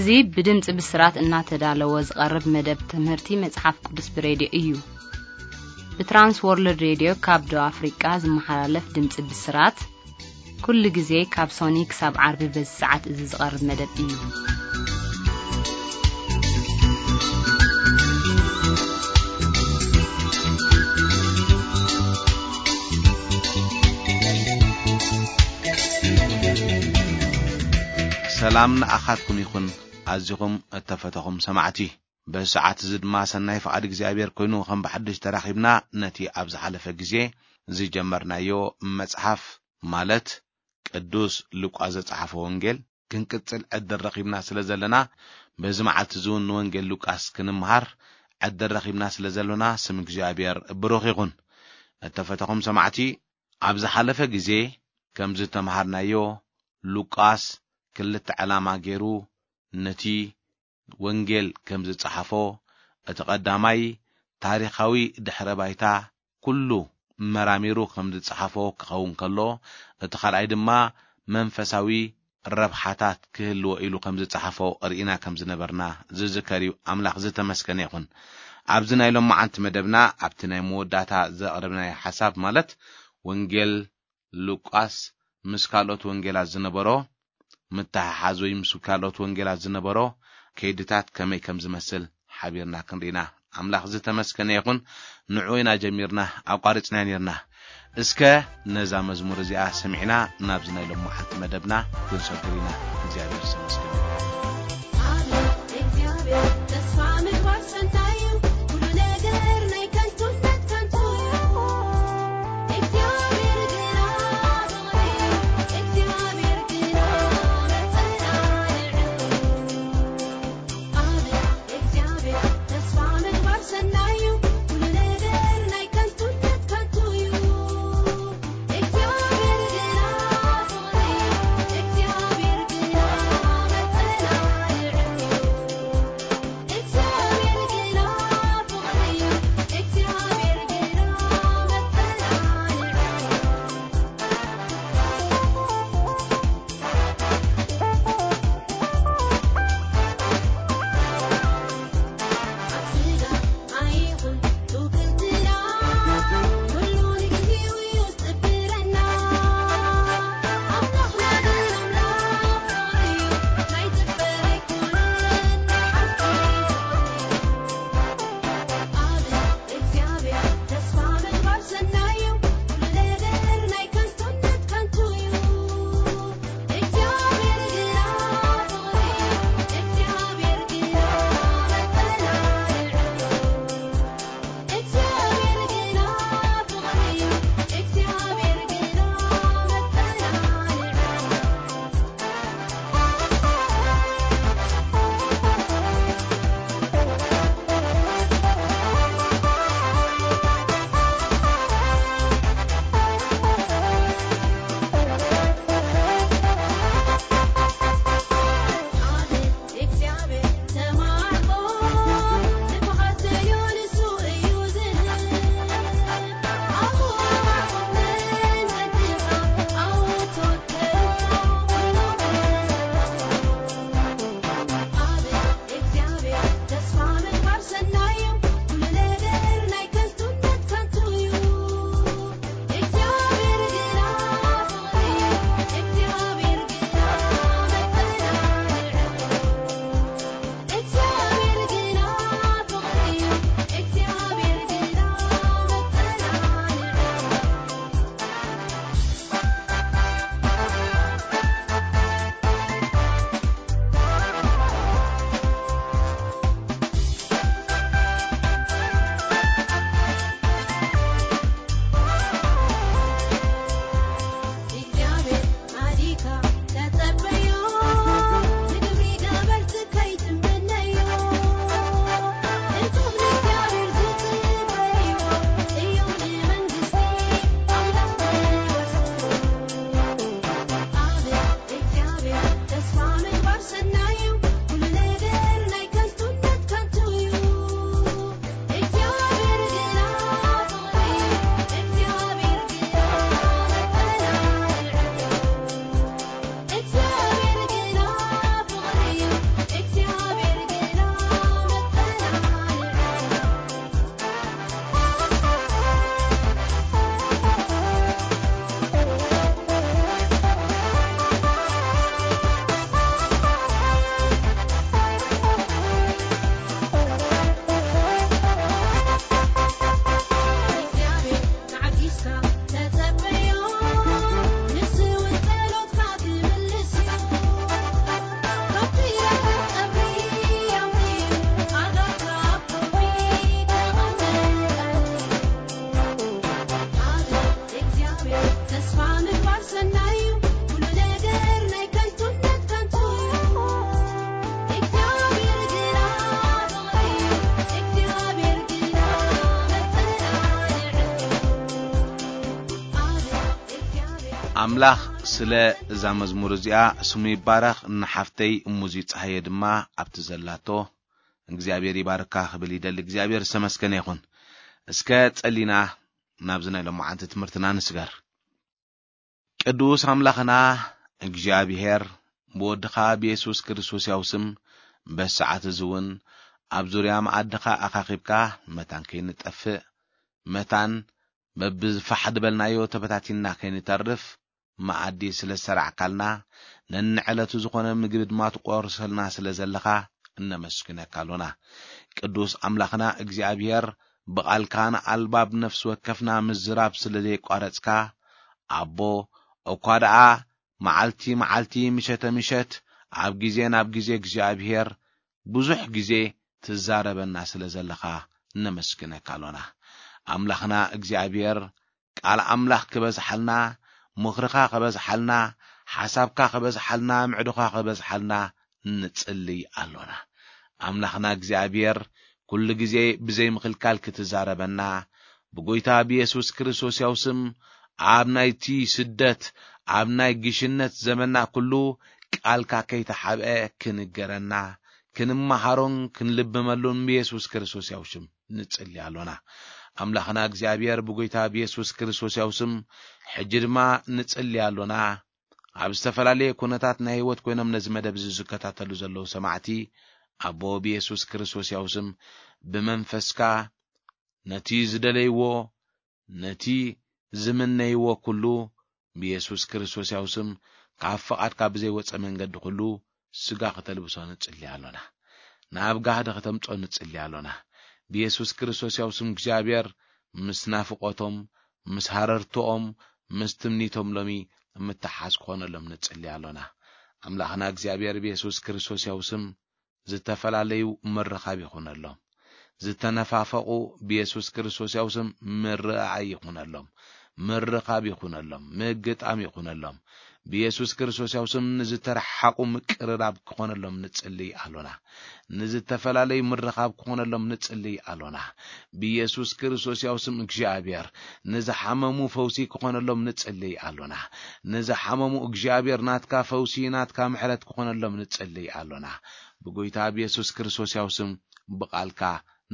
እዚ ብድምጺ ብስራት እናተዳለወ ዝቐርብ መደብ ትምህርቲ መጽሓፍ ቅዱስ ብሬድዮ እዩ። ብትራንስ ወርልድ ሬድዮ ካብ ደቡብ ኣፍሪቃ ዝመሓላለፍ ድምጺ ብስራት፣ ኩሉ ግዜ ካብ ሶኒ ክሳብ ዓርቢ በዚ ሰዓት እዚ ዝቐርብ መደብ እዩ። ሰላም ንኣኻትኩም ይኹን፣ ኣዚኹም እተፈተኹም ሰማዕቲ። በዚ ሰዓት እዚ ድማ ሰናይ ፍቓድ እግዚኣብሔር ኮይኑ፣ ከም ብሓድሽ ተራኺብና፣ ነቲ ኣብ ዝሓለፈ ግዜ ዝጀመርናዮ መጽሓፍ፣ ማለት ቅዱስ ሉቃስ ዘጸሓፎ ወንጌል፣ ክንቅጽል ዕድል ረኺብና ስለ ዘለና፣ በዚ መዓልቲ እዚ እውን ንወንጌል ሉቃስ ክንምሃር ዕድል ረኺብና ስለ ዘሎና፣ ስም እግዚኣብሔር ብሩኽ ይኹን። እተፈተኹም ሰማዕቲ፣ ኣብ ዝሓለፈ ግዜ ከም ዝተምሃርናዮ፣ ሉቃስ ክልተ ዕላማ ገይሩ ነቲ ወንጌል ከም ዝጸሓፎ፣ እቲ ቀዳማይ ታሪኻዊ ድሕረ ባይታ ኩሉ መራሚሩ ከም ዝጸሓፎ ክኸውን ከሎ፣ እቲ ካልኣይ ድማ መንፈሳዊ ረብሓታት ክህልዎ ኢሉ ከም ዝጸሓፎ ርኢና ከም ዝነበርና ዝዝከር እዩ። ኣምላኽ ዝተመስገነ ይኹን። ኣብዚ ናይ ሎማዓንቲ መደብና፣ ኣብቲ ናይ መወዳእታ ዘቕረብናዮ ሓሳብ፣ ማለት ወንጌል ሉቃስ ምስ ካልኦት ወንጌላት ዝነበሮ ምትሕሓዝ ወይ ምስ ካልኦት ወንጌላት ዝነበሮ ከይድታት ከመይ ከም ዝመስል ሓቢርና ክንርኢና። ኣምላኽ ዝተመስገነ ይኹን። ንዑ ኢና ጀሚርና፣ ኣቋሪጽና ነርና። እስከ ነዛ መዝሙር እዚኣ ሰሚዕና ናብዚ ናይ ሎማዓንቲ መደብና ክንሰግር ኢና። እግዚኣብሔር ዝተመስገነ ይኹን። እግዚኣብሔር ተስፋ ምግባር ሰናይ እዩ። ኩሉ ነገር ናይ ከንቱነት ከንቱ እዩ። እግዚኣብሔር ግና ፍቕሪ እዩ። እግዚኣብሔር ግና መጸናንዒ እዩ። ኣሜን። እግዚኣብሔር ተስፋ ምግባር ሰናይ እዩ። ኩሉ ነገር ናይ ከንቱነት ከንቱ እዩ። እግዚኣብሔር ግና ፍቕሪ እዩ። እግዚኣብሔር ግና መጸናንዒ ኣምላኽ ስለ እዛ መዝሙር እዚኣ ስሙ ይባረኽ። ንሓፍተይ እሙዚ ጸሃየ ድማ ኣብቲ ዘላቶ እግዚኣብሔር ይባርካ ክብል ይደሊ። እግዚኣብሔር ዝተመስገነ ይኹን። እስከ ጸሊና ናብዚ ናይ ሎማዓንቲ ትምህርትና ንስገር። ቅዱስ ኣምላኽና እግዚኣብሔር ብወድኻ ብየሱስ ክርስቶስ ያው ስም በሰዓት እዚ እውን ኣብ ዙርያ መኣድኻ ኣኻኺብካ መታን ከይንጠፍእ፣ መታን በብፋሕ ድበልናዮ ተበታቲንና ከይንተርፍ መኣዲ ስለ ዝሰራዕካልና፣ ነንዕለቱ ዝኾነ ምግቢ ድማ ትቆርሰልና ስለ ዘለኻ እነመስግነካ ኣሎና። ቅዱስ ኣምላኽና እግዚኣብሔር፣ ብቓልካ ንኣልባብ ነፍሲ ወከፍና ምዝራብ ስለ ዘየቋረጽካ፣ ኣቦ፣ እኳ ደኣ መዓልቲ መዓልቲ፣ ምሸተ ምሸት፣ ኣብ ግዜ ናብ ግዜ እግዚኣብሔር ብዙሕ ግዜ ትዛረበና ስለ ዘለኻ ነመስግነካ ኣሎና። ኣምላኽና እግዚኣብሔር፣ ቃል ኣምላኽ ክበዝሓልና፣ ምኽርኻ ክበዝሓልና፣ ሓሳብካ ክበዝሓልና፣ ምዕዶኻ ክበዝሓልና ንጽልይ ኣሎና። ኣምላኽና እግዚኣብሔር፣ ኩሉ ግዜ ብዘይ ምኽልካል ክትዛረበና፣ ብጎይታ ብየሱስ ክርስቶስ ያው ስም፣ ኣብ ናይቲ ስደት፣ ኣብ ናይ ግሽነት ዘመንና ኩሉ ቃልካ ከይተሓብአ ክንገረና፣ ክንመሃሮን ክንልብመሉን ብየሱስ ክርስቶስ ያው ሽም ንጽሊ ኣሎና። ኣምላኽና እግዚኣብሔር ብጎይታ ብየሱስ ክርስቶስ ያው ስም ሕጂ ድማ ንጽሊ ኣሎና። ኣብ ዝተፈላለየ ኩነታት ናይ ህይወት ኮይኖም ነዚ መደብ እዚ ዝከታተሉ ዘለዉ ሰማዕቲ፣ ኣቦ ብየሱስ ክርስቶስ ያው ስም ብመንፈስካ ነቲ ዝደለይዎ፣ ነቲ ዝምነይዎ ኩሉ ብየሱስ ክርስቶስ ያው ስም ካብ ፍቓድካ ብዘይወጸ መንገዲ ኩሉ ስጋ ከተልብሶ ንጽሊ ኣሎና። ናብ ጋህዲ ከተምጾ ንጽሊ ኣሎና። ብየሱስ ክርስቶስ ያው ስም እግዚኣብሔር ምስ ናፍቆቶም፣ ምስ ሃረርቶኦም፣ ምስ ትምኒቶም ሎሚ ምትሓዝ ክኾነሎም ንጽሊ ኣሎና። ኣምላኽና እግዚኣብሔር ብየሱስ ክርስቶስ ያው ስም ዝተፈላለዩ ምርኻብ ይኹነሎም። ዝተነፋፈቑ ብየሱስ ክርስቶስ ያው ስም ምርኣይ ይኹነሎም፣ ምርኻብ ይኹነሎም፣ ምግጣም ይኹነሎም። ብየሱስ ክርስቶስ ያው ስም ንዝተረሓቑ ምቅርራብ ክኾነሎም ንጽልይ ኣሎና። ንዝተፈላለዩ ምርኻብ ክኾነሎም ንጽልይ ኣሎና። ብየሱስ ክርስቶስ ያው ስም እግዚኣብሔር ንዝሓመሙ ፈውሲ ክኾነሎም ንጽልይ ኣሎና። ንዝሓመሙ እግዚኣብሔር ናትካ ፈውሲ፣ ናትካ ምሕረት ክኾነሎም ንጽልይ ኣሎና። ብጎይታ ብየሱስ ክርስቶስ ያው ስም ብቓልካ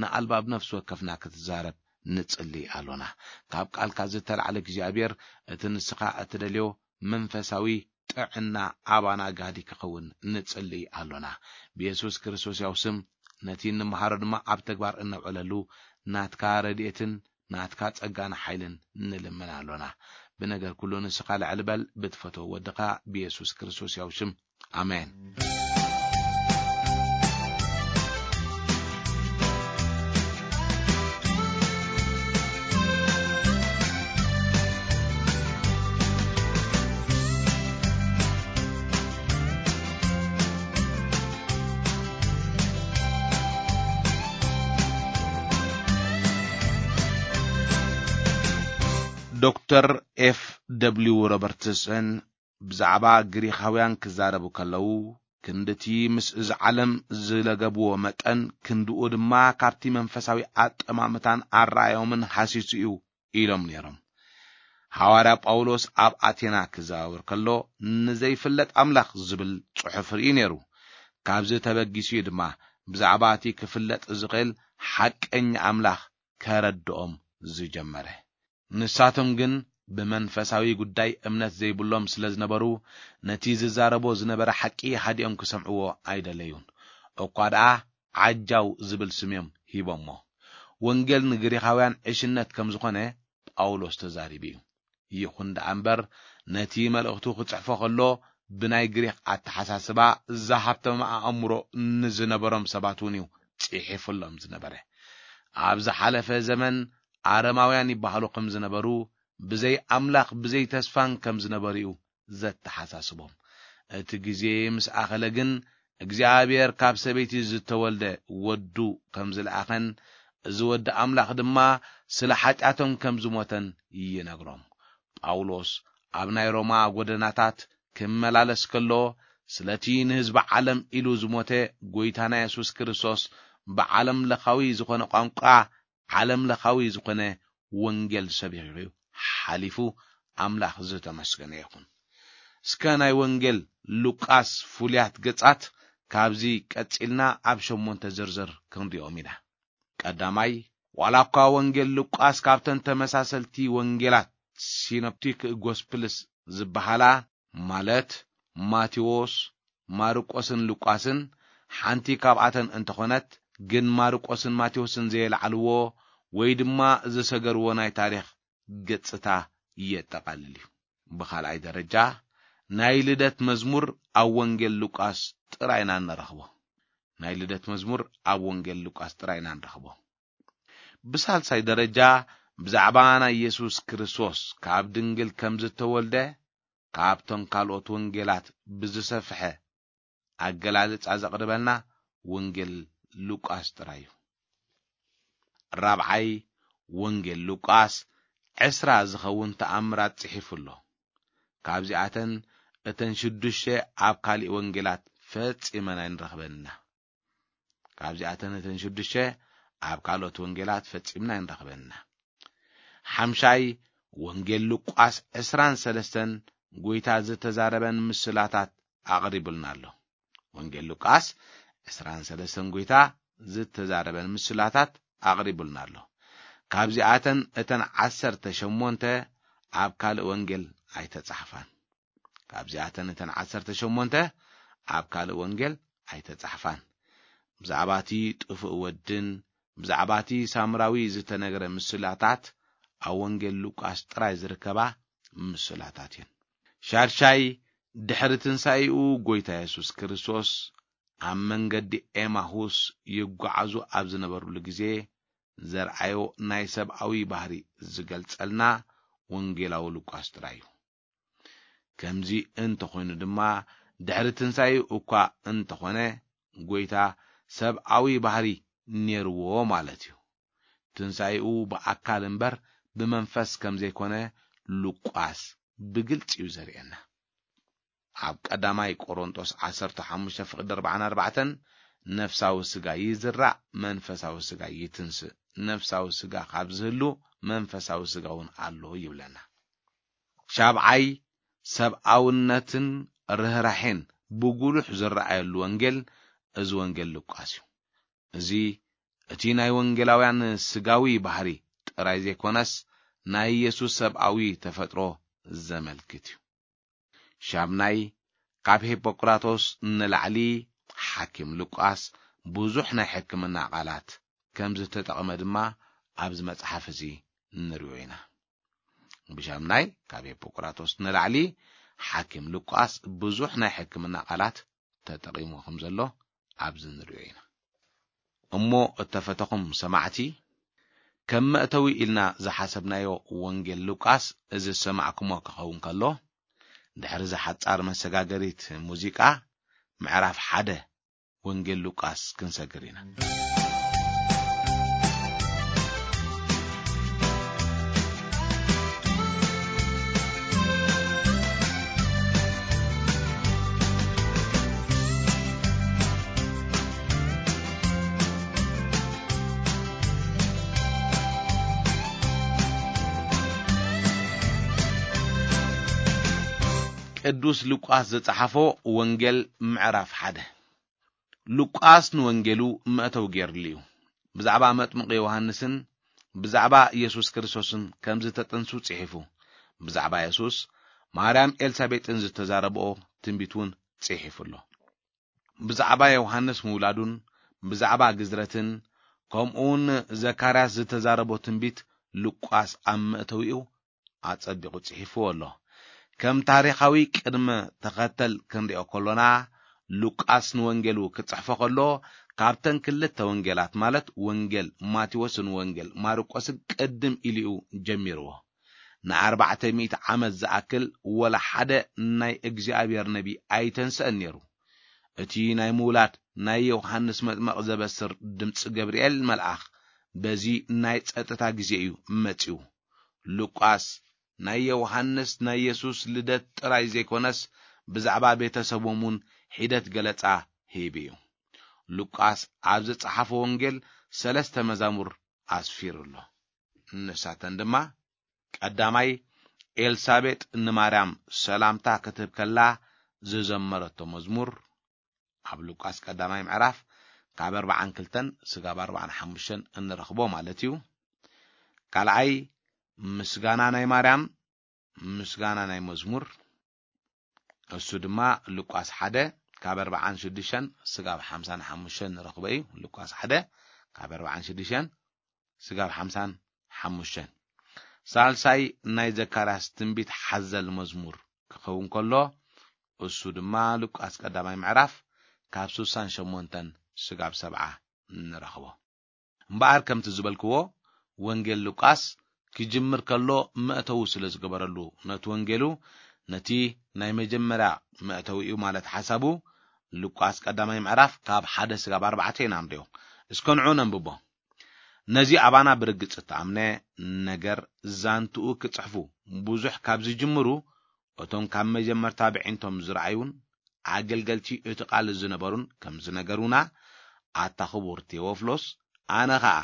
ንኣልባብ ነፍሲ ወከፍና ክትዛረብ ንጽልይ ኣሎና። ካብ ቃልካ ዝተላዕለ እግዚኣብሔር እቲ ንስኻ እትደልዮ መንፈሳዊ ጥዕና ኣባና ጋዲ ክኸውን ንጽልይ ኣሎና። ብየሱስ ክርስቶስ ያው ስም ነቲ እንመሃሮ ድማ ኣብ ተግባር እነውዕለሉ ናትካ ረድኤትን ናትካ ጸጋን ሓይልን ንልምን ኣሎና። ብነገር ኩሉ ንስኻ ልዕል በል ብትፈትዎ ወድኻ ብየሱስ ክርስቶስ ያው ሽም። ኣሜን። ዶክተር ኤፍ ደብሊው ሮበርትሰን ብዛዕባ ግሪኻውያን ክዛረቡ ከለዉ፣ ክንድቲ ምስ እዚ ዓለም ዝለገብዎ መጠን፣ ክንድኡ ድማ ካብቲ መንፈሳዊ ኣጠማምታን ኣረኣዮምን ሃሲሱ እዩ ኢሎም ነይሮም። ሃዋርያ ጳውሎስ ኣብ ኣቴና ክዘዋወር ከሎ፣ ንዘይፍለጥ ኣምላኽ ዝብል ጽሑፍ ርእዩ ነይሩ። ካብዚ ተበጊሱ እዩ ድማ ብዛዕባ እቲ ክፍለጥ ዝኽእል ሓቀኛ ኣምላኽ ከረድኦም ዝጀመረ። ንሳቶም ግን ብመንፈሳዊ ጉዳይ እምነት ዘይብሎም ስለ ዝነበሩ፣ ነቲ ዝዛረቦ ዝነበረ ሓቂ ሃዲኦም ክሰምዕዎ ኣይደለዩን። እኳ ደኣ ዓጃው ዝብል ስም እዮም ሂቦሞ። ወንጌል ንግሪኻውያን ዕሽነት ከም ዝኾነ ጳውሎስ ተዛሪቡ እዩ። ይኹን ደኣ እምበር፣ ነቲ መልእኽቱ ክጽሕፎ ከሎ፣ ብናይ ግሪኽ ኣተሓሳስባ ዝሃብተመ ኣእምሮ ንዝነበሮም ሰባት እውን እዩ ጽሒፉሎም ዝነበረ። ኣብ ዝሓለፈ ዘመን ኣረማውያን ይበሃሉ ከም ዝነበሩ፣ ብዘይ ኣምላኽ፣ ብዘይ ተስፋን ከም ዝነበሩ እዩ ዘተሓሳስቦም። እቲ ግዜ ምስ ኣኸለ ግን፣ እግዚኣብሔር ካብ ሰበይቲ ዝተወልደ ወዱ ከም ዝለኣኸን፣ እዚ ወዲ ኣምላኽ ድማ ስለ ሓጢኣቶም ከም ዝሞተን ይነግሮም። ጳውሎስ ኣብ ናይ ሮማ ጎደናታት ክመላለስ ከሎ፣ ስለቲ ንህዝቢ ዓለም ኢሉ ዝሞተ ጎይታና የሱስ ክርስቶስ ብዓለም ለኻዊ ዝኾነ ቋንቋ፣ ዓለም ለኻዊ ዝኾነ ወንጌል ሰቢኹ ሓሊፉ፣ ኣምላኽ ዝተመስገነ ይኹን። እስከ ናይ ወንጌል ሉቃስ ፍሉያት ገጻት ካብዚ ቀጺልና ኣብ ሸሞንተ ዝርዝር ክንሪኦም ኢና። ቀዳማይ፣ ዋላ እኳ ወንጌል ሉቃስ ካብተን ተመሳሰልቲ ወንጌላት ሲኖፕቲክ ጎስፕልስ ዝበሃላ፣ ማለት ማቴዎስ፣ ማርቆስን ሉቃስን፣ ሓንቲ ካብኣተን እንተኾነት፣ ግን ማርቆስን ማቴዎስን ዘየልዓልዎ ወይ ድማ ዝሰገርዎ ናይ ታሪኽ ገጽታ የጠቓልል እዩ። ብኻልኣይ ደረጃ፣ ናይ ልደት መዝሙር ኣብ ወንጌል ሉቃስ ጥራይ ኢና እንረኽቦ። ናይ ልደት መዝሙር ኣብ ወንጌል ሉቃስ ጥራይ ኢና ንረኽቦ። ብሳልሳይ ደረጃ፣ ብዛዕባ ናይ የሱስ ክርስቶስ ካብ ድንግል ከም ዝተወልደ ካብቶም ካልኦት ወንጌላት ብዝሰፍሐ ኣገላልጻ ዘቕርበልና ወንጌል ሉቃስ ጥራይ እዩ። ራብዓይ፣ ወንጌል ሉቃስ ዕስራ ዝኸውን ተኣምራት ጽሒፉ ኣሎ። ካብዚኣተን እተን ሽዱሽተ ኣብ ካሊእ ወንጌላት ፈጺመን ኣይንረኽበን ኢና። ካብዚኣተን እተን ሽዱሽተ ኣብ ካልኦት ወንጌላት ፈጺምና ኣይንረኽበን ኢና። ሓምሻይ፣ ወንጌል ሉቃስ ዕስራን ሰለስተን ጎይታ ዝተዛረበን ምስላታት ኣቕሪቡልና ኣሎ። ወንጌል ሉቃስ ዕስራን ሰለስተን ጎይታ ዝተዛረበን ምስላታት ኣቕሪቡልና ኣሎ። ካብዚኣተን እተን ዓሰርተ ሸሞንተ ኣብ ካልእ ወንጌል ኣይተጻሕፋን። ካብዚኣተን እተን ዓሰርተ ሸሞንተ ኣብ ካልእ ወንጌል ኣይተጻሕፋን። ብዛዕባ እቲ ጥፉእ ወድን ብዛዕባ እቲ ሳምራዊ ዝተነግረ ምስላታት ኣብ ወንጌል ሉቃስ ጥራይ ዝርከባ ምስላታት እየን። ሻድሻይ፣ ድሕሪ ትንሳኤኡ ጎይታ የሱስ ክርስቶስ ኣብ መንገዲ ኤማሁስ ይጓዓዙ ኣብ ዝነበሩሉ ግዜ ዘርኣዮ ናይ ሰብኣዊ ባህሪ ዝገልጸልና ወንጌላዊ ሉቃስ ጥራይ እዩ። ከምዚ እንተኾይኑ ድማ፣ ድሕሪ ትንሳኤኡ እኳ እንተኾነ፣ ጎይታ ሰብኣዊ ባህሪ ኔርዎ ማለት እዩ። ትንሳኤኡ ብኣካል እምበር ብመንፈስ ከም ዘይኮነ ሉቃስ ብግልጺ እዩ ዘርእየና። ኣብ ቀዳማይ ቆሮንጦስ ዓሰርተ ሓሙሽተ ፍቕዲ ኣርባዓን ኣርባዕተን፣ "ነፍሳዊ ስጋ ይዝራእ፣ መንፈሳዊ ስጋ ይትንስእ። ነፍሳዊ ስጋ ካብ ዝህሉ፣ መንፈሳዊ ስጋ እውን ኣሎ" ይብለና። ሻብዓይ፣ ሰብኣውነትን ርህራሄን ብጉሉሕ ዝረኣየሉ ወንጌል፣ እዚ ወንጌል ሉቃስ እዩ። እዚ እቲ ናይ ወንጌላውያን ስጋዊ ባህሪ ጥራይ ዘይኮነስ፣ ናይ የሱስ ሰብኣዊ ተፈጥሮ ዘመልክት እዩ። ሻምናይ፣ ካብ ሂፖቅራጦስ ንላዕሊ ሓኪም ሉቃስ ብዙሕ ናይ ሕክምና ቃላት ከም ዝተጠቕመ ድማ ኣብዚ መጽሓፍ እዚ ንሪኦ ኢና። ብሻምናይ፣ ካብ ሂፖቅራጦስ ንላዕሊ ሓኪም ሉቃስ ብዙሕ ናይ ሕክምና ቃላት ተጠቒሙ ከም ዘሎ ኣብዚ ንሪኦ ኢና። እሞ እተፈተኹም ሰማዕቲ፣ ከም መእተዊ ኢልና ዝሓሰብናዮ ወንጌል ሉቃስ እዚ ዝሰማዕኩሞ ክኸውን ከሎ፣ ድሕሪ እዛ ሓጻር መሰጋገሪት ሙዚቃ፣ ምዕራፍ ሓደ ወንጌል ሉቃስ ክንሰግር ኢና። ቅዱስ ሉቃስ ዝጸሓፎ ወንጌል ምዕራፍ ሓደ። ሉቃስ ንወንጌሉ መእተዊ ገይርሉ እዩ። ብዛዕባ መጥምቕ ዮሃንስን ብዛዕባ ኢየሱስ ክርስቶስን ከም ዝተጠንሱ ጽሒፉ። ብዛዕባ የሱስ ማርያም ኤልሳቤጥን ዝተዛረብኦ ትንቢት እውን ጽሒፉ ኣሎ። ብዛዕባ ዮሃንስ ምውላዱን ብዛዕባ ግዝረትን፣ ከምኡውን ዘካርያስ ዝተዛረቦ ትንቢት ሉቃስ ኣብ መእተዊኡ ኣጸቢቑ ጽሒፍዎ ኣሎ። ከም ታሪኻዊ ቅድመ ተኸተል ክንሪኦ ከሎና፣ ሉቃስ ንወንጌሉ ክጽሕፎ ከሎ፣ ካብተን ክልተ ወንጌላት፣ ማለት ወንጌል ማቴዎስን ወንጌል ማርቆስን ቅድም ኢሉ እዩ ጀሚርዎ። ንኣርባዕተ ሚእቲ ዓመት ዝኣክል ወላ ሓደ ናይ እግዚኣብሔር ነቢ ኣይተንስአን ነይሩ። እቲ ናይ ምውላድ ናይ ዮሃንስ መጥመቕ ዘበስር ድምጺ ገብርኤል መልኣኽ በዚ ናይ ጸጥታ ግዜ እዩ መጺኡ። ሉቃስ ናይ ዮሃንስ ናይ የሱስ ልደት ጥራይ ዘይኮነስ፣ ብዛዕባ ቤተሰቦም እውን ሒደት ገለጻ ሂቡ እዩ። ሉቃስ ኣብ ዝጸሓፎ ወንጌል ሰለስተ መዛሙር ኣስፊሩ ኣሎ። ንሳተን ድማ፣ ቀዳማይ፣ ኤልሳቤጥ ንማርያም ሰላምታ ክትህብ ከላ ዝዘመረቶ መዝሙር ኣብ ሉቃስ ቀዳማይ ምዕራፍ ካብ ኣርባዓን ክልተን ስጋብ ኣርባዓን ሓሙሽተን እንረኽቦ ማለት እዩ። ካልኣይ ምስጋና ናይ ማርያም፣ ምስጋና ናይ መዝሙር፣ እሱ ድማ ሉቃስ ሓደ ካብ ኣርባዓን ሽዱሽተን ስጋብ ሓምሳን ሓሙሽተን ንረኽቦ እዩ። ሉቃስ ሓደ ካብ ኣርባዓን ሽዱሽተን ስጋብ ሓምሳን ሓሙሽተን። ሳልሳይ ናይ ዘካርያስ ትንቢት ሓዘል መዝሙር ክኸውን ከሎ፣ እሱ ድማ ሉቃስ ቀዳማይ ምዕራፍ ካብ ስሳን ሸሞንተን ስጋብ ሰብዓ ንረኽቦ። እምበኣር ከምቲ ዝበልክዎ፣ ወንጌል ሉቃስ ክጅምር ከሎ መእተዊ ስለ ዝገበረሉ፣ ነቲ ወንጌሉ ነቲ ናይ መጀመርያ መእተዊኡ ማለት ሓሳቡ ሉቃስ ቀዳማይ ምዕራፍ ካብ ሓደ ስጋብ ኣርባዕተ ኢና ንሪኦ። እስከ ንዑ ነንብቦ። ነዚ ኣባና ብርግጽ እተኣምነ ነገር ዛንትኡ ክጽሕፉ ብዙሕ ካብ ዝጅምሩ፣ እቶም ካብ መጀመርታ ብዒንቶም ዝረኣዩን ኣገልገልቲ እቲ ቃል ዝነበሩን ከም ዝነገሩና፣ ኣታ ክቡር ቴዎፍሎስ፣ ኣነ ኸኣ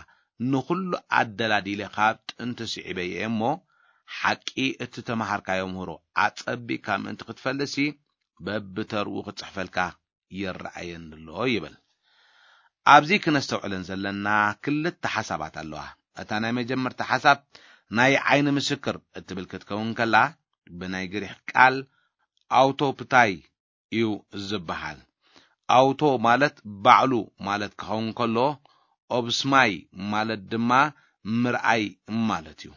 ንኹሉ ኣደላዲለ ካብ ጥንቲ ስዒበ እየ እሞ፣ ሓቂ እቲ ተመሃርካዮ ምህሮ ኣጸቢቕካ ምእንቲ ክትፈልጥሲ፣ በብተርኡ ክጽሕፈልካ ይረኣየኒ ኣሎ ይብል። ኣብዚ ክነስተውዕለን ዘለና ክልተ ሓሳባት ኣለዋ። እታ ናይ መጀመርታ ሓሳብ ናይ ዓይኒ ምስክር እትብል ክትከውን ከላ፣ ብናይ ግሪክ ቃል ኣውቶፕታይ እዩ ዝበሃል። ኣውቶ ማለት ባዕሉ ማለት ክኸውን ከሎ፣ ኦብስማይ ማለት ድማ ምርኣይ ማለት እዩ።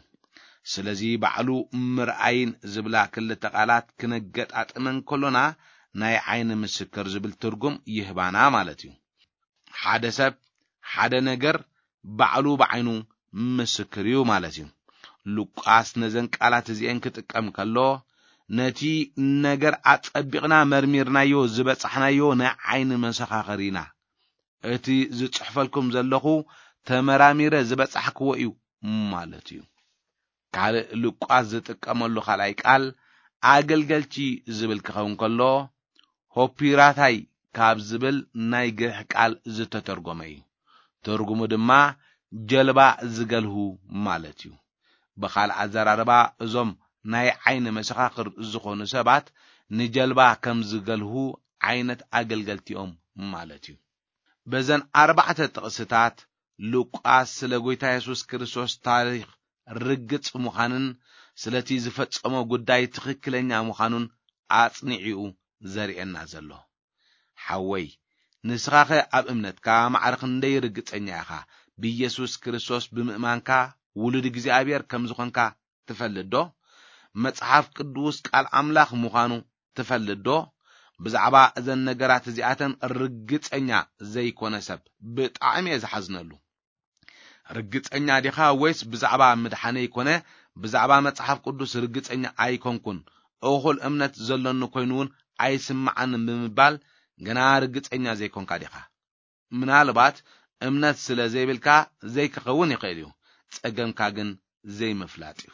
ስለዚ ባዕሉ ምርኣይን ዝብላ ክልተ ቃላት ክነገጣጥመን ከሎና፣ ናይ ዓይኒ ምስክር ዝብል ትርጉም ይህባና ማለት እዩ። ሓደ ሰብ ሓደ ነገር ባዕሉ ብዓይኑ ምስክር እዩ ማለት እዩ። ሉቃስ ነዘን ቃላት እዚኤን ክጥቀም ከሎ፣ ነቲ ነገር ኣጸቢቕና መርሚርናዮ ዝበጻሕናዮ ናይ ዓይኒ መሰኻኽር ኢና። እቲ ዝጽሕፈልኩም ዘለኹ ተመራሚረ ዝበጻሕክዎ እዩ ማለት እዩ። ካልእ ሉቃስ ዝጥቀመሉ ካልኣይ ቃል ኣገልገልቲ ዝብል ክኸውን ከሎ፣ ሆፒራታይ ካብ ዝብል ናይ ግሪክ ቃል ዝተተርጎመ እዩ። ትርጉሙ ድማ ጀልባ ዝገልሁ ማለት እዩ። ብኻልእ ኣዘራርባ፣ እዞም ናይ ዓይኒ መሰኻኽር ዝኾኑ ሰባት ንጀልባ ከም ዝገልሁ ዓይነት ኣገልገልቲኦም ማለት እዩ። በዘን ኣርባዕተ ጥቕስታት ሉቃስ ስለ ጐይታ የሱስ ክርስቶስ ታሪኽ ርግጽ ምዃንን ስለቲ ዝፈጸሞ ጉዳይ ትኽክለኛ ምዃኑን ኣጽኒዑ ዘርእየና ዘሎ። ሓወይ፣ ንስኻኸ ኣብ እምነትካ ማዕረ ክንደይ ርግጸኛ ኢኻ? ብየሱስ ክርስቶስ ብምእማንካ ውሉድ እግዚኣብሔር ከም ዝኾንካ ትፈልጥ ዶ? መጽሓፍ ቅዱስ ቃል ኣምላኽ ምዃኑ ትፈልጥ ዶ? ብዛዕባ እዘን ነገራት እዚኣተን ርግጸኛ ዘይኮነ ሰብ ብጣዕሚ እየ ዝሓዝነሉ። ርግጸኛ ዲኻ ወይስ ብዛዕባ ምድሓነይ ኮነ ብዛዕባ መጽሓፍ ቅዱስ ርግጸኛ ኣይኮንኩን፣ እኹል እምነት ዘሎኒ ኮይኑ እውን ኣይስምዓንን ብምባል ገና ርግጸኛ ዘይኮንካ ዲኻ? ምናልባት እምነት ስለ ዘይብልካ ዘይክኸውን ይኽእል እዩ። ጸገምካ ግን ዘይምፍላጥ እዩ።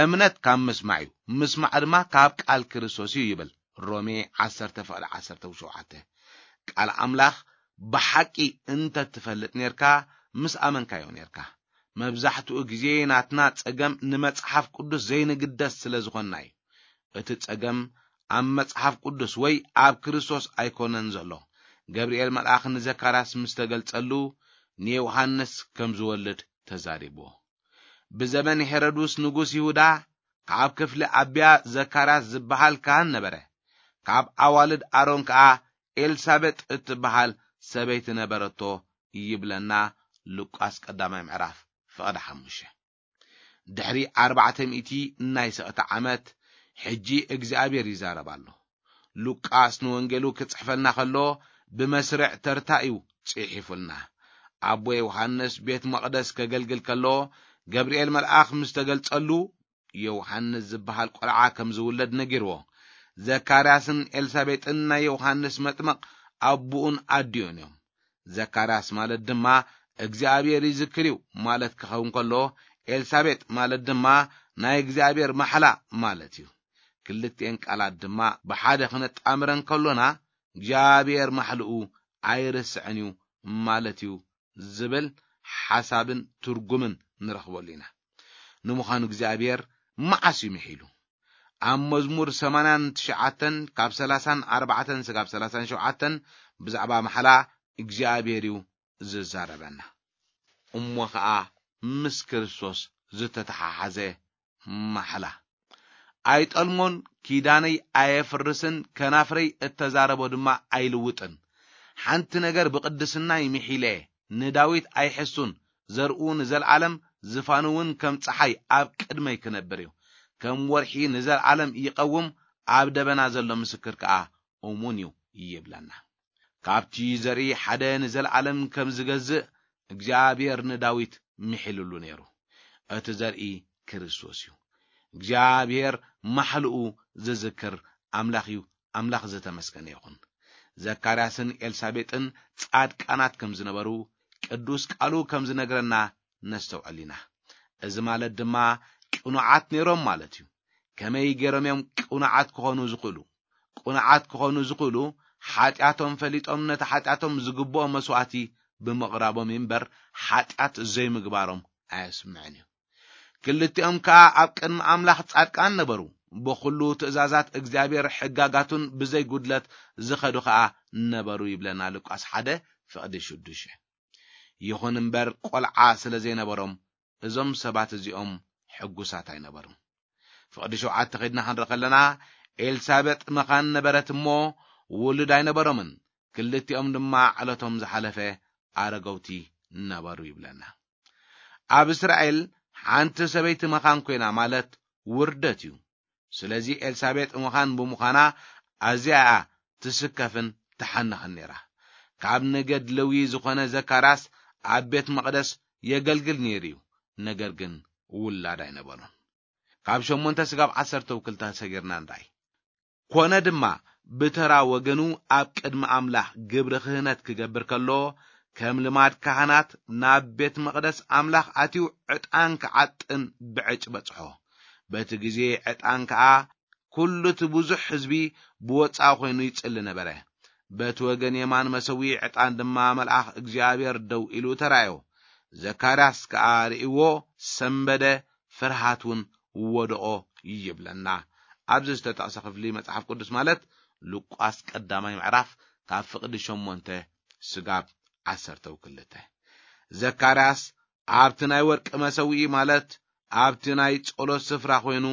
እምነት ካብ ምስማዕ እዩ፣ ምስማዕ ድማ ካብ ቃል ክርስቶስ እዩ ይብል ሮሜ ዓሰርተ ፍቕዲ ዓሰርተ ሸውዓተ። ቃል ኣምላኽ ብሓቂ እንተ ትፈልጥ ኔርካ ምስ ኣመንካዮ ኔርካ። መብዛሕትኡ ግዜ ናትና ጸገም ንመጽሓፍ ቅዱስ ዘይንግደስ ስለ ዝኾንና እዩ። እቲ ጸገም ኣብ መጽሓፍ ቅዱስ ወይ ኣብ ክርስቶስ ኣይኮነን ዘሎ። ገብርኤል መልኣኽ ንዘካርያስ ምስ ተገልጸሉ ንዮሃንስ ከም ዝወልድ ተዛሪብዎ። ብዘበን ሄሮድስ ንጉስ ይሁዳ ካብ ክፍሊ ኣብያ ዘካርያስ ዝበሃል ካህን ነበረ። ካብ ኣዋልድ ኣሮን ከኣ ኤልሳቤጥ እትበሃል ሰበይቲ ነበረቶ ይብለና ሉቃስ ቀዳማይ ምዕራፍ ፍቕዲ ሓሙሽተ። ድሕሪ ኣርባዕተ ሚእቲ ናይ ስቕታ ዓመት ሕጂ እግዚኣብሔር ይዛረብ ኣሎ። ሉቃስ ንወንጌሉ ክጽሕፈልና ከሎ ብመስርዕ ተርታ እዩ ጽሒፉልና። ኣቦ ዮሃንስ ቤት መቕደስ ከገልግል ከሎ ገብርኤል መልኣኽ ምስ ተገልጸሉ፣ ዮሃንስ ዝበሃል ቆልዓ ከም ዝውለድ ነጊርዎ። ዘካርያስን ኤልሳቤጥን ናይ ዮሃንስ መጥምቕ ኣቦኡን ኣዲኡን እዮም። ዘካርያስ ማለት ድማ እግዚኣብሔር ይዝክር እዩ ማለት ክኸውን ከሎ፣ ኤልሳቤጥ ማለት ድማ ናይ እግዚኣብሔር ማሕላ ማለት እዩ። ክልቲኤን ቃላት ድማ ብሓደ ክነጣምረን ከሎና፣ እግዚኣብሔር ማሕልኡ ኣይርስዕን እዩ ማለት እዩ ዝብል ሓሳብን ትርጉምን ንረኽበሉ ኢና። ንምዃኑ እግዚኣብሔር መዓስ እዩ ምሒሉ? ኣብ መዝሙር ሰማንያን ትሽዓተን ካብ ሰላሳን ኣርባዕተን ስጋብ ሰላሳን ሸውዓተን ብዛዕባ ማሕላ እግዚኣብሔር እዩ ዝዛረበና። እሞ ኸኣ ምስ ክርስቶስ ዝተተሓሓዘ ማሕላ። "ኣይጠልሞን፣ ኪዳነይ ኣየፍርስን፣ ከናፍረይ እተዛረቦ ድማ ኣይልውጥን። ሓንቲ ነገር ብቕድስናይ ምሒለ፣ ንዳዊት ኣይሕሱን፣ ዘርኡ ንዘለዓለም፣ ዝፋኑ እውን ከም ጸሓይ ኣብ ቅድመይ ክነብር እዩ። ከም ወርሒ ንዘለዓለም ይቐውም፣ ኣብ ደበና ዘሎ ምስክር ከኣ እሙን እዩ" ይብለና። ካብቲ ዘርኢ ሓደ ንዘለዓለም ከም ዝገዝእ እግዚኣብሔር ንዳዊት ምሒልሉ ነይሩ። እቲ ዘርኢ ክርስቶስ እዩ። እግዚኣብሔር ማሕልኡ ዝዝክር ኣምላኽ እዩ። ኣምላኽ ዝተመስገነ ይኹን። ዘካርያስን ኤልሳቤጥን ጻድቃናት ከም ዝነበሩ ቅዱስ ቃሉ ከም ዝነግረና ነስተውዕል ኢና። እዚ ማለት ድማ ቅኑዓት ነይሮም ማለት እዩ። ከመይ ገይሮም እዮም ቅኑዓት ክኾኑ ዝኽእሉ? ቅኑዓት ክኾኑ ዝኽእሉ፣ ሓጢኣቶም ፈሊጦም ነቲ ሓጢኣቶም ዝግብኦ መስዋእቲ ብምቕራቦም እምበር፣ ሓጢኣት ዘይምግባሮም ኣየስምዕን እዩ። ክልቲኦም ከኣ ኣብ ቅድሚ ኣምላኽ ጻድቃን ነበሩ። ብኹሉ ትእዛዛት እግዚኣብሔር ሕጋጋቱን ብዘይ ጉድለት ዝኸዱ ከኣ ነበሩ ይብለና ሉቃስ ሓደ ፍቕዲ ሽዱሽተ። ይኹን እምበር፣ ቆልዓ ስለ ዘይነበሮም፣ እዞም ሰባት እዚኦም ሕጉሳት ኣይነበሩን። ፍቕዲ ሸውዓተ ኸድና ክንርኢ ከለና፣ ኤልሳቤጥ መኻን ነበረት እሞ፣ ውሉድ ኣይነበሮምን። ክልቲኦም ድማ ዕለቶም ዝሓለፈ ኣረገውቲ ነበሩ ይብለና። ኣብ እስራኤል ሓንቲ ሰበይቲ መኻን ኮይና ማለት ውርደት እዩ። ስለዚ ኤልሳቤጥ መኻን ብምዃና ኣዝያ እያ ትስከፍን ትሓንኽን ነይራ። ካብ ነገድ ለዊ ዝኾነ ዘካርያስ ኣብ ቤት መቕደስ የገልግል ነይሩ እዩ፣ ነገር ግን ውላድ ኣይነበሮን። ካብ ሸሞንተ ስጋብ ዓሰርተ ውክልታ ሰጊርና ንርኣይ። ኮነ ድማ፣ ብተራ ወገኑ ኣብ ቅድሚ ኣምላኽ ግብሪ ክህነት ክገብር ከሎ፣ ከም ልማድ ካህናት ናብ ቤት መቕደስ ኣምላኽ ኣትዩ ዕጣን ክዓጥን ብዕጭ በጽሖ። በቲ ግዜ ዕጣን ከኣ ኩሉ እቲ ብዙሕ ህዝቢ ብወጻኢ ኮይኑ ይጽሊ ነበረ። በቲ ወገን የማን መሰዊ ዕጣን ድማ መልኣኽ እግዚኣብሔር ደው ኢሉ ተራእዮ። ዘካርያስ ከኣ ርእይዎ ሰንበደ፣ ፍርሃት እውን ወደኦ ይብለና። ኣብዚ ዝተጠቕሰ ክፍሊ መጽሓፍ ቅዱስ ማለት ሉቃስ ቀዳማይ ምዕራፍ ካብ ፍቕዲ ሸሞንተ ስጋብ ዓሰርተ ክልተ። ዘካርያስ ኣብቲ ናይ ወርቂ መሰውኢ ማለት ኣብቲ ናይ ጸሎት ስፍራ ኮይኑ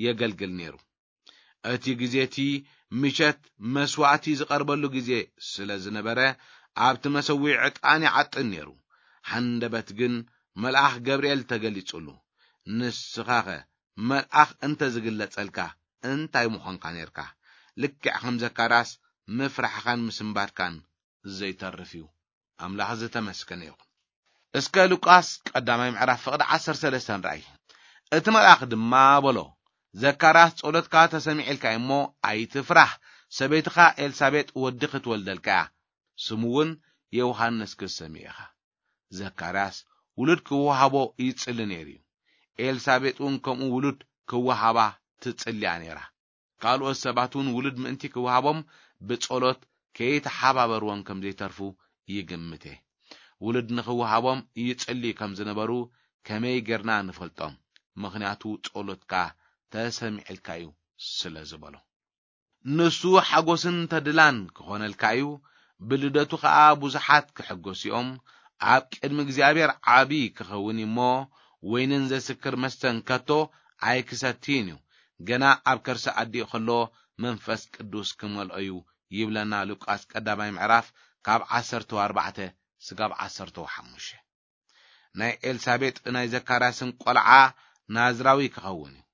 የገልግል ነይሩ። እቲ ግዜ እቲ ምሸት መስዋእቲ ዝቐርበሉ ግዜ ስለ ዝነበረ፣ ኣብቲ መሰውኢ ዕጣን ይዓጥን ነይሩ። ሃንደበት ግን መልኣኽ ገብርኤል ተገሊጹሉ። "ንስኻኸ መልኣኽ እንተ ዝግለጸልካ እንታይ ምኾንካ ነይርካ?" ልክዕ ከም ዘካርያስ ምፍራሕኻን ምስንባድካን ዘይተርፍ እዩ። ኣምላኽ ዝተመስገነ ይኹን። እስከ ሉቃስ ቀዳማይ ምዕራፍ ፍቕዲ ዓሰርተ ሰለስተ ንርኣይ። እቲ መልኣኽ ድማ በሎ፣ "ዘካርያስ ጸሎትካ ተሰሚዕልካ እሞ ኣይትፍራህ፣ ሰበይትኻ ኤልሳቤጥ ወዲ ክትወልደልካ እያ፣ ስሙ እውን ዮሃንስ ክትሰምዮ ኢኻ።" ዘካርያስ ውሉድ ክወሃቦ ይጽሊ ነይሩ እዩ። ኤልሳቤጥ እውን ከምኡ ውሉድ ክወሃባ ትጽልያ ነይራ። ካልኦት ሰባት እውን ውሉድ ምእንቲ ክወሃቦም ብጸሎት ከይተሓባበርዎም ከም ዘይተርፉ ይግምት እየ። ውሉድ ንኽወሃቦም ይጽልዩ ከም ዝነበሩ ከመይ ጌርና ንፈልጦም? ምኽንያቱ ጸሎትካ ተሰሚዕልካ እዩ ስለ ዝበሎ። ንሱ ሓጎስን ተድላን ክኾነልካ እዩ፣ ብልደቱ ኸኣ ብዙሓት ክሕጎስ እዮም። ኣብ ቅድሚ እግዚኣብሔር ዓቢ ክኸውን እዩ እሞ፣ ወይንን ዘስክር መስተን ከቶ ኣይክሰትይን እዩ። ገና ኣብ ከርሲ ኣዲኡ ከሎ መንፈስ ቅዱስ ክመልኦ እዩ ይብለና ሉቃስ ቀዳማይ ምዕራፍ ካብ ዓሰርተ ኣርባዕተ ስጋብ ዓሰርተ ሓሙሽተ። ናይ ኤልሳቤጥ ናይ ዘካርያስን ቆልዓ ናዝራዊ ክኸውን እዩ።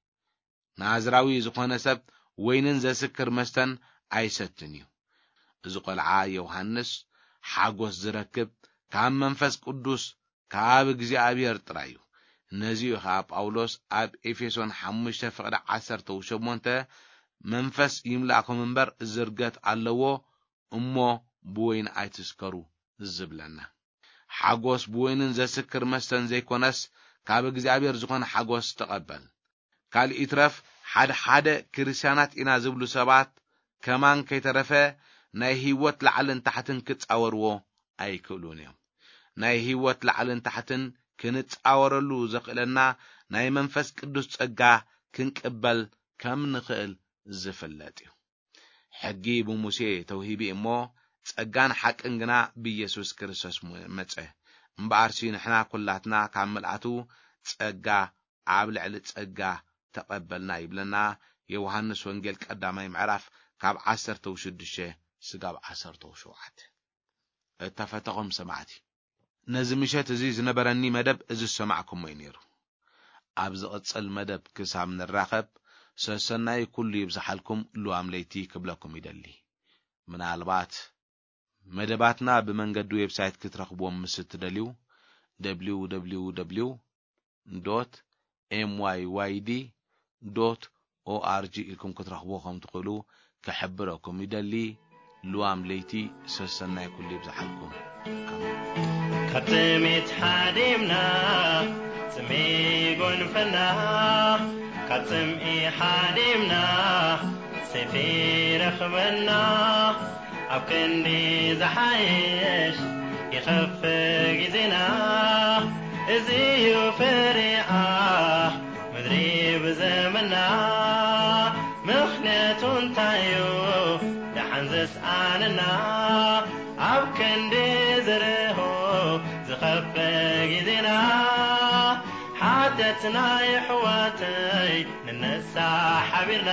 ናዝራዊ ዝኾነ ሰብ ወይንን ዘስክር መስተን ኣይሰትን እዩ። እዚ ቆልዓ ዮሃንስ ሓጎስ ዝረክብ ካብ መንፈስ ቅዱስ ካብ እግዚኣብሔር ጥራይ እዩ። ነዚ እዩ ኸዓ ጳውሎስ ኣብ ኤፌሶን ሓሙሽተ ፍቕዲ ዓሰርተ ሸሞንተ፣ "መንፈስ ይምላእኩም እምበር ዝርገት ኣለዎ፣ እሞ ብወይኒ ኣይትስከሩ" ዝብለና። ሓጎስ ብወይንን ዘስክር መስተን ዘይኮነስ፣ ካብ እግዚኣብሔር ዝኾነ ሓጎስ ተቐበል። ካልእ ይትረፍ፣ ሓደ ሓደ ክርስትያናት ኢና ዝብሉ ሰባት ከማን ከይተረፈ ናይ ህይወት ላዕልን ታሕትን ክጻወርዎ ኣይክእሉን እዮም። ናይ ህይወት ላዕልን ታሕትን ክንጻወረሉ ዘኽእለና ናይ መንፈስ ቅዱስ ጸጋ ክንቅበል ከም ንኽእል ዝፍለጥ እዩ። ሕጊ ብሙሴ ተውሂቡ እሞ፣ ጸጋን ሓቅን ግና ብኢየሱስ ክርስቶስ ሙ-፣ መጸ። እምበኣርሲ ንሕና ኩላትና ካብ ምልኣቱ ጸጋ ኣብ ልዕሊ ጸጋ ተቐበልና ይብለና ዮሃንስ ወንጌል ቀዳማይ ምዕራፍ ካብ ዓሰርተ ሽዱሽተ ስጋብ ዓሰርተ ሸውዓተ። እተፈተኹም ሰማዕቲ፣ ነዚ ምሸት እዚ ዝነበረኒ መደብ እዚ ዝሰማዕኩሞ እዩ ነይሩ። ኣብ ዝቕጽል መደብ ክሳብ ንራኸብ፣ ሰሰናይ ኩሉ ይብዝሓልኩም፣ ልዋም ለይቲ ክብለኩም ይደሊ። ምናልባት መደባትና ብመንገዲ ዌብሳይት ክትረኽብዎም ምስ እትደልዩ፣ www dot myyd dot org ኢልኩም ክትረኽቡ ከም ትኽእሉ ክሕብረኩም ይደሊ። ልዋም ለይቲ ሰሰናይ ኩሉ ይብዝሓልኩም። ካብ ጥሜት ሓዲምና ጽሜ ጎንፈና፣ ካብ ጽምኢ ሓዲምና ሰይፊ ረኽበና። ኣብ ክንዲ ዝሓይሽ ይኸፍ ግዜና፣ እዚ እዩ ፍሬኣ ምድሪ ብዘመና። ምኽንያቱ እንታይ እዩ ደሓን ዘስኣነና? ኣብ ክንዲ ዝርህው ዝኸፍ ግዜና፣ ሓጢኣትና የሕዋተይ ንነሳ ሓቢርና።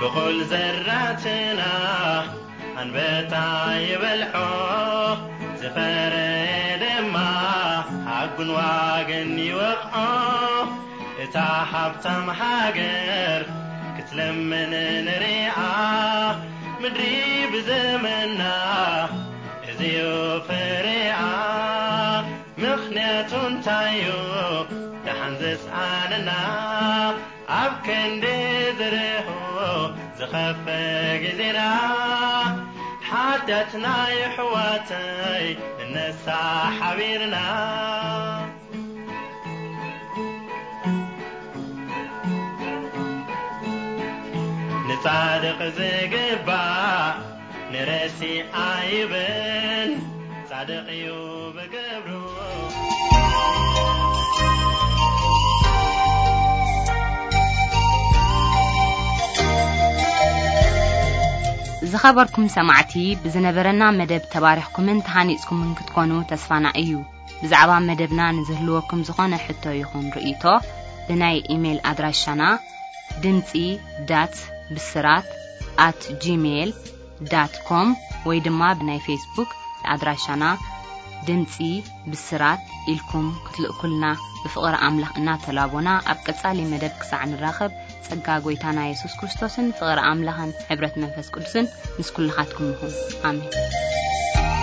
ብኹል ዘራትና ኣንበጣ ይበልዖ፣ ዝፈረየ ድማ ኣብ ጉንዋግን ይወቕዖ። እታ ሃብታም ሃገር ክትለምን ንሪኣ፣ ምድሪ ብዘመና እዚዩ ፍሬኣ። ምኽንያቱ እንታዩ ደሓን ዘስኣነና? ኣብ ክንዲ ዝርህው ዝኸፍ ግዜና፣ ሓጢኣትና የሕዋተይ ንነሳ ሓቢርና። ንጻድቕ ዝግባእ ንረሲ ኣይብን፣ ጻድቕ እዩ ብግብሩ። ዝኸበርኩም ሰማዕቲ፣ ብዝነበረና መደብ ተባሪኽኩምን ተሃኒጽኩምን ክትኮኑ ተስፋና እዩ። ብዛዕባ መደብና ንዝህልወኩም ዝኾነ ሕቶ ይኹን ርእይቶ፣ ብናይ ኢሜይል ኣድራሻና ድምጺ ዳት ብስራት ኣት ጂሜይል ዳት ኮም ወይ ድማ ብናይ ፌስቡክ ኣድራሻና ድምጺ ብስራት ኢልኩም ክትልእኩልና ብፍቕሪ ኣምላኽ እናተላቦና፣ ኣብ ቀጻሊ መደብ ክሳዕ ንራኸብ፣ ጸጋ ጐይታና የሱስ ክርስቶስን ፍቕሪ ኣምላኽን ሕብረት መንፈስ ቅዱስን ምስ ኩልኻትኩም ይኹን። ኣሜን።